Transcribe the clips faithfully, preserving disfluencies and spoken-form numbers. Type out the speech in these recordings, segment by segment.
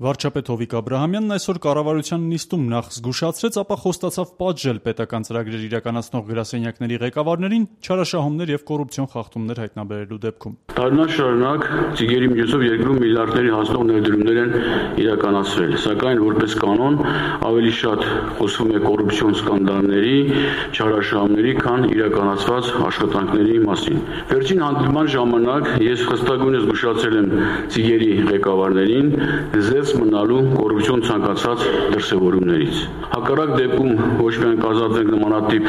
Վարչապետ Հովիկ Աբրահամյանն այսօր կառավարության նիստում նախ զգուշացրեց, ապա խոստացավ պատժել պետական ծրագրեր իրականացնող գրասենյակների ղեկավարներին չարաշահումներ եւ կոռուպցիոն խախտումներ հայտնաբերելու դեպքում։ Տարիներ շարունակ ծիգերի միջոցով երկրում միլիարդների հասնող ներդրումներ են իրականացվել, սակայն որպես կանոն ավելի շատ խոսվում է կոռուպցիոն սկանդալների, չարաշահումների, քան իրականացված աշխատանքների մասին։ Վերջին հանդիպման ժամանակ ես խստագույնս զգուշացել եմ ծիգերի ղեկավարներին զերծ մնալու կոռուպցիոն ցանկացած դրսևորումներից։ Հակառակ դեպքում ոչ միայն կազատվենք նմանատիպ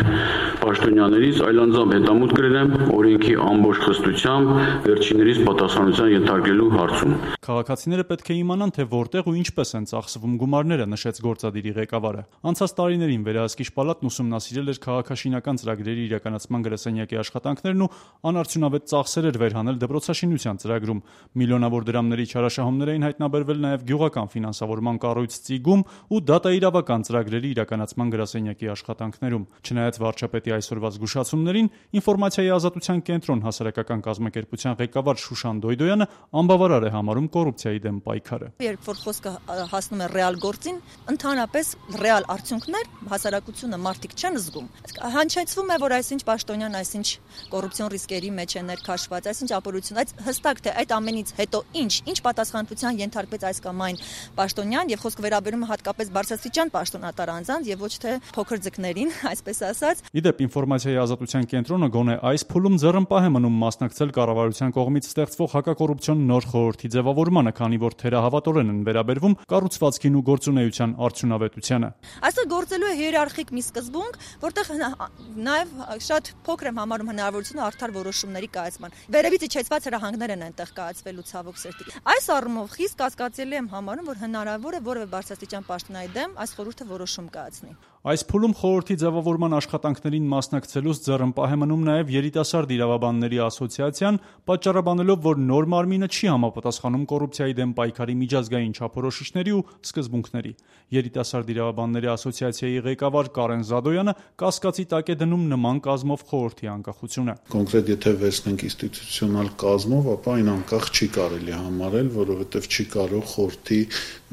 պաշտոնյաներից, այլ անձամբ հետամուտ կրել եմ օրենքի ամբողջ խստությամբ վերջիններից պատասխանության ենթարկելու հարցում։ Քաղաքացիները պետք է իմանան, թե որտեղ ու ինչպես են ծախսվում գումարները, նշեց գործադիրի ղեկավարը։ Անցած տարիներին վերահսկիչ պալատն ուսումնասիրել էր քաղաքաշինական ծրագրերի իրականացման գրասենյակի աշխատանքներն ու անարդյունավետ ծախսեր էր վերհանել դպրոցաշինության ծրագրում։ Միլիոնավոր դրամների չարաշահումներ էին հայտնաբերվել նաև գյուղական ֆինանսավորման կառույց ծիգում ու դատաիրավական ծրագրերի իրականացման գրասենյակի աշխատանքներում։ Չնայած վարչապետի այսօրվա զգուշացումներին, ինֆորմացիայի ազատության կենտրոն հասարակական կազմակերպության ղեկավար Շուշան Դոյդոյանը անբավարար է համարում կոռուպցիայի դեմ պայքարը։ Երբ որ խոսքը հասնում է ռեալ գործին, ընդհանրապես ռեալ արդյունքներ հասարակությունը մարդիկ չեն զգում։ Հնչեցվում է, որ այսինչ պաշտոնյան, այսինչ կոռուպցիոն ռիսկերի մեջ է ներքաշված, այսինչ ապօրություն, այդ հստակ թե այդ ամենից հետո ինչ, ինչ պատասխանատվության ենթարկվեց այս կամ այն պաշտոնյան, եւ խոսքը վերաբերում է հատկապես բարձրաստիճան պաշտոնատար անձանց եւ ոչ թե փոքր ձկներին, այսպես ասած։ Իդեպ ինֆորմացիայի ազատության կենտրոնը գոնե այս փուլում ձեռնպահ է մնում մասնակցել կառավարության կողմից ստեղծվող հակակոռուպցիոն նոր խորհրդի ձևավորմանը, քանի որ թերահավատորեն են վերաբերվում կառուցվածքին ու գործունեության արդյունավետությանը։ Այստեղ գործելու է հիերարխիկ մի սկզբունք, որտեղ նաեւ շատ փոքր եմ համարում հնարավորությունը արդար որոշումների կայացման։ Վերևից իջեցված հրահանգներ են այնտեղ կայացվելու ցավոք սրտի։ Այս առումով խիստ կասկածելի եմ համարում, որ հնարավոր է որևէ բարձրաստիճան պաշտոնյայի դեմ այս խորհուրդը որոշում կայացնի։ Այս փուլում խորհրդի ձևավորման աշխատանքներին մասնակցելուց ձեռնպահ է մնում նաև երիտասարդ իրավաբանների ասոցիացիան, պատճառաբանելով, որ նոր մարմինը չի համապատասխանում կոռուպցիայի դեմ պայքարի միջազգային չափորոշիչների ու սկզբունքների։ Երիտասարդ իրավաբանների ասոցիացիայի ղեկավար Կարեն Զադոյանը կասկածի տակ է դնում նման կազմով խորհրդի անկախությունը։ Կոնկրետ եթե վերցնենք ինստիտուցիոնալ կազմով, ապա այն անկախ չի կարելի համարել, որովհետև չի կարող խորհրդի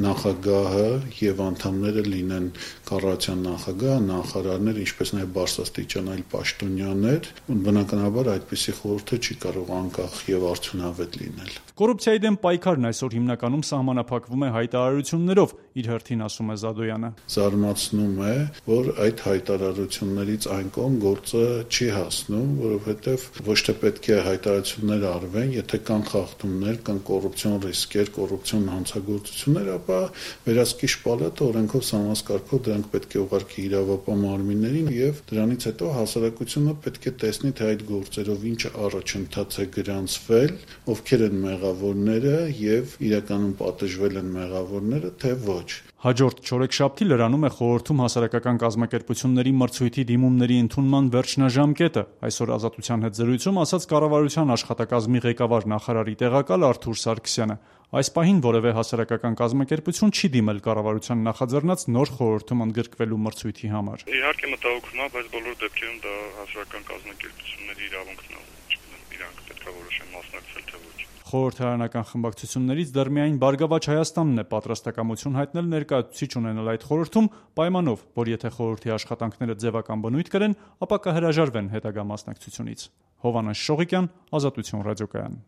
նախագահը եւ անդամները լինեն կառավարության նախագահ, նախարարներ, ինչպես նաև բարձրաստիճան այլ պաշտոնյաներ, բնականաբար այդպիսի խորհուրդը չի կարող անկախ եւ արդյունավետ լինել։ Կոռուպցիայի դեմ պայքարն այսօր հիմնականում սահմանափակվում է հայտարարություններով, իր հերթին ասում է Զադոյանը։ Զարմացնում է, որ այդ հայտարարություններից այն կողմ գործը չի հասնում, որովհետև ոչ թե պետք է հայտարարություններ արվեն, եթե կան խախտումներ, կան կոռուպցիոն ռիսկեր, կոռուպցիոն հանցագործություններ, ապա վերահսկիչ պալատը օրենքով սահմանskարգով դրանք պետք է ուղարկի իրավապահ մարմիններին եւ դրանից հետո հասարակությունը պետք է տեսնի, թե այդ գործերով ինչ առաջընթաց է գրանցվել, ովքեր են մեղավորները եւ իրականում պատժվել են մեղավորները, թե ոչ։ Հաջորդ չորեքշաբթի լրանում է խորհրդում հասարակական կազմակերպությունների մրցույթի դիմումների ընդունման վերջնաժամկետը։ Այսօր Ազատության հետ զրույցում ասաց կառավարության աշխատակազմի ղեկավար նախարարի տեղակալ Արթուր Սարգսյանը։ Այս պահին որևէ հասարակական կազմակերպություն չի դիմել կառավարության նախաձեռնած նոր խորհրդում ընդգրկվելու մրցույթի համար։ Իհարկե մտահոգում է, բայց բոլոր դեպքերում դա հասարակական կազմակերպությունների իրավունքն է, իրանք պետք է որոշեն մասնակցել թե ոչ։ Խորհրդարանական խմբակցություններից դեռ միայն Բարգավաճ Հայաստանն է պատրաստակամություն հայտնել ներկայացուցիչ ունենալ այդ խորհրդում, պայմանով, որ եթե խորհրդի աշխատանքները ձևական բնույթ կրեն, ապա կհրաժարվեն հետագա մասնակցությունից։ Հովհաննես Շողիկյան, Ազատություն ռադիոկայան։